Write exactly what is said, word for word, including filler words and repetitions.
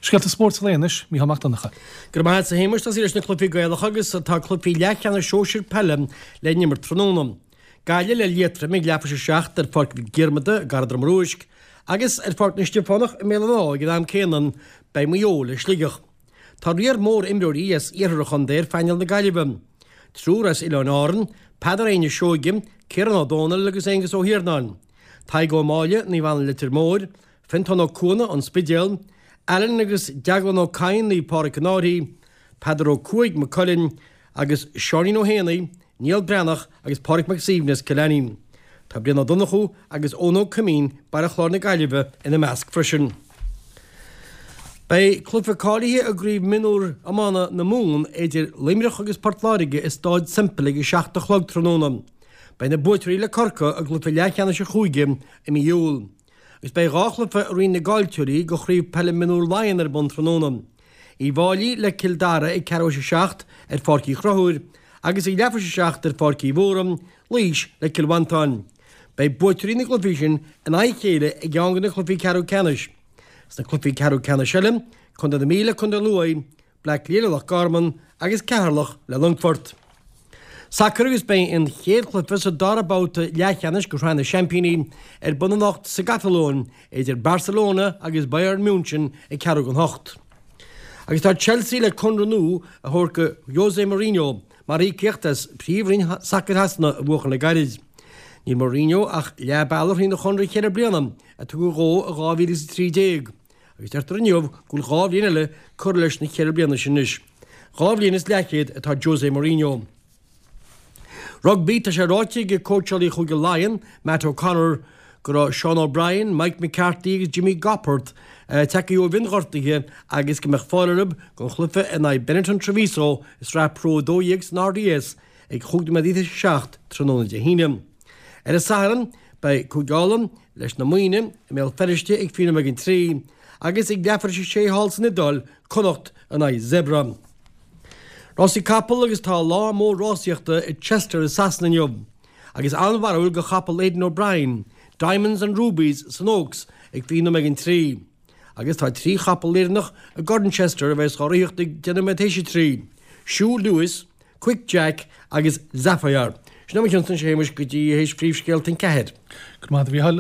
Scéalta spóirt an lae anois, Mícheál Mac Donncha. Go raibh maith agat a Shéamais, tosaí leis na cluichí Gaelacha agus tá cluichí leathcheannais sóisir peile le n-imirt tráthnóna. Gaillimh le Liatroim ag leathuair tar éis a seacht ar Pháirc Mhic Diarmada i gCarraig Droma Ruaisc agus ar Pháirc na Stiofánach i mBéal an Átha ag an am céanna beidh Maigh Eo le Sligeach. Tá riar mór imreoirí as iarthar an chontae ar phainéal na Gaillimhe. Triúr as Oileáin Árann, Peadar Éinne Seoige, Ciarán Ó Dónaill agus Aengus Ó hIarnáin. Tadhg Ó Máille, Naomh Anna Leitir Móir, Fintán Ó Cuana, An Spidéal, Alan agus Deaglán Ó Cadhain, Naomh Pádraig an Fhairche, Peadar Ó Cuaig, Maigh Cuilinn, agus Seáinín Ó hÉanaí, Niall Breathnach agus Pádraig Mac Suibhne as Cill Ainnín. Tá Brian Ó Donnchú agus Eoin Ó Coimín, Baile Chláir na Gaillimhe, ina measc freisin. Beidh cluiche cáilithe i gCraobh Mionúr Iomána na Mumhan idir Luimneach agus Port Láirge i Stáid Semple ag a seacht a chlog tráthnóna. Beidh na buaiteoirí le Corcaigh i gcluiche leathcheannais an chúige i mí Iúil. Agus beidh dhá chluiche i roinn na gcaillteoirí de Chraobh Peile Mionúr Laighean ar bun tráthnóna. Uíbh Fhailí le Cill Dara ag ceathrú théis a seacht ar Pháirc Uí Chonchúir agus ag leathuair théis a seacht ar Pháirc Uí Mhórdha, Laois le Cill Mhantáin. Beidh buaiteoirí na gcluichí sin in aghaidh a chéile i gceann de na cluichí ceathrú ceannais. Sna cluichí ceathrú ceannais eile, Contae na Mí le Contae Lú, Bleá Cliath le Loch Garman agus Ceatharlach le Longfort. Sacar agus beidh an chéad chluiche sa dara babhta leathcheannais de Shraith na Seaimpíní ar bun anocht sa gCatalóin idir Barcelona agus Bayern München ag ceathrú don hocht. Agus tá Chelsea le conradh nua a thabhairt do Jose Mourinho mar íocaíocht as Príomhroinn Sacair Shasana a bhuachan le gairid. Níl Mourinho ach leath bealaigh thrína chonradh ceithre bliana a tugadh dhó i dhá mhíle is a trí déag, agus deirtear inniu go bhfuil dhá bhliain eile curtha leis na ceithre bliana sin anois. Dhá bhliain is leathchéad atá Jose Mourinho. Rugbaí, Tá sé ráite ag cóitseálaí Chúige Laighean, Matt O'Connor, go raibh Sean O'Brien, Mike McCarthy agus Jimmy Gopperth tagtha ó mhionghortuithe agus go mbeadh fáil orthu don chluiche in aghaidh Benetton Treviso i Sraith Pro a dó dhéag san RDS ag chúig nóiméad tar éis a seacht tráthnóna Dé hAoine. Ar an Satharn, beidh Cúige Uladh leis na Muimhnigh i mBéal Feirste ag fiche nóiméad don trí agus ag leathuair tar éis a sé thall san Iodáil, Connacht in aghaidh Zebre. Rásaí capall agus tá lá mór rásaíochta i Chester i Sasana inniu agus an-bharúil do chapall Aidan O'Brien, Diamonds and Rubies san Oaks ag fiche nóiméad don trí. Agus tá trí chapall Éireannach i gCorn Chester a bheas á ritheacht ag deich nóiméad théis a trí, Sue Lewis, Quick Jack agus Zephyr. Sin é mo chionn-sa a Shéamais go dtí théis phríomhscéalta an ceathair. Go raibh maith agat a Mhícheáil.